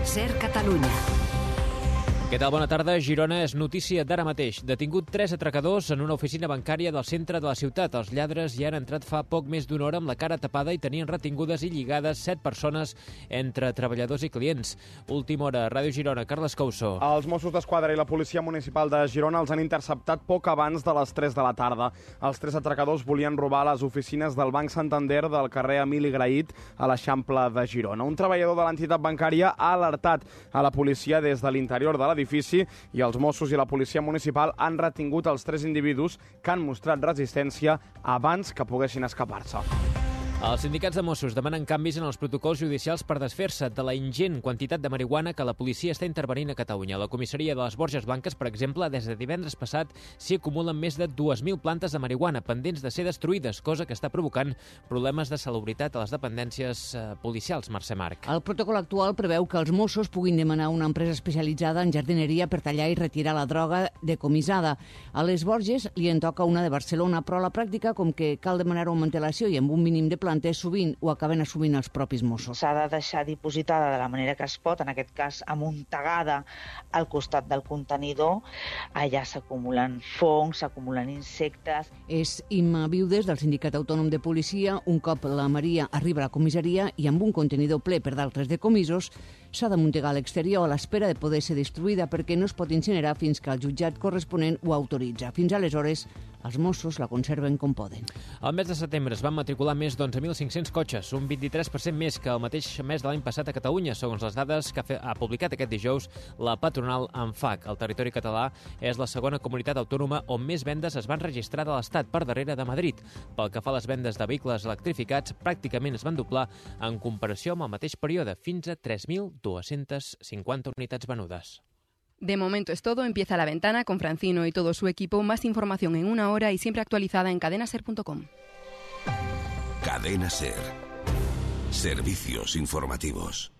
SER Catalunya. Què tal? Bona tarda. Girona és notícia d'ara mateix. Detingut 3 atracadors en una oficina bancària del centre de la ciutat. Els lladres hi han entrat fa poc més d'una hora amb la cara tapada i tenien retingudes i lligades 7 persones entre treballadors i clients. Última hora, Ràdio Girona, Carles Couso. Els Mossos d'Esquadra i la Policia Municipal de Girona els han interceptat poc abans de les 3 de la tarda. Els 3 atracadors volien robar les oficines del Banc Santander del carrer Emili Graït a l'Eixample de Girona. Un treballador de l'entitat bancària ha alertat a la policia des de l'interior de l'edifici i els Mossos i la Policia Municipal han retingut els 3 individus que han mostrat resistència abans que poguessin escapar-se. Els sindicats de Mossos demanen canvis en els protocols judicials per desfer-se de la ingent quantitat de marihuana que la policia està intervenint a Catalunya. La comissaria de les Borges Blanques, per exemple, des de divendres passat s'hi acumulen més de 2.000 plantes de marihuana pendents de ser destruïdes, cosa que està provocant problemes de salubritat a les dependències policials. Mercè Marc. El protocol actual preveu que els Mossos puguin demanar una empresa especialitzada en jardineria per tallar i retirar la droga decomissada. A les Borges li en toca una de Barcelona, però a la pràctica, com que cal demanar-ho amb antelació i amb un mínim de plantes, sovint ho acaben assumint els propis Mossos. S'ha de deixar dipositada de la manera que es pot, en aquest cas amuntegada al costat del contenidor. Allà s'acumulen fongs, s'acumulen insectes. És Imma Viudes, del Sindicat Autònom de Policia. Un cop la Maria arriba a la comissaria i amb un contenidor ple per d'altres decomisos, s'ha d'amuntegar a l'exterior a l'espera de poder ser destruïda perquè no es pot incinerar fins que el jutjat corresponent ho autoritza. Fins aleshores, els Mossos la conserven com poden. Al mes de setembre es van matricular més d'11.500 cotxes, un 23% més que el mateix mes de l'any passat a Catalunya, segons les dades que ha publicat aquest dijous la patronal ANFAC. El territori català és la segona comunitat autònoma on més vendes es van registrar de l'Estat, per darrere de Madrid. Pel que fa a les vendes de vehicles electrificats, pràcticament es van doblar en comparació amb el mateix període, fins a 3.250 unitats venudes. De momento es todo. Empieza La Ventana con Francino y todo su equipo. Más información en una hora y siempre actualizada en cadenaser.com. Cadena Ser. Servicios informativos.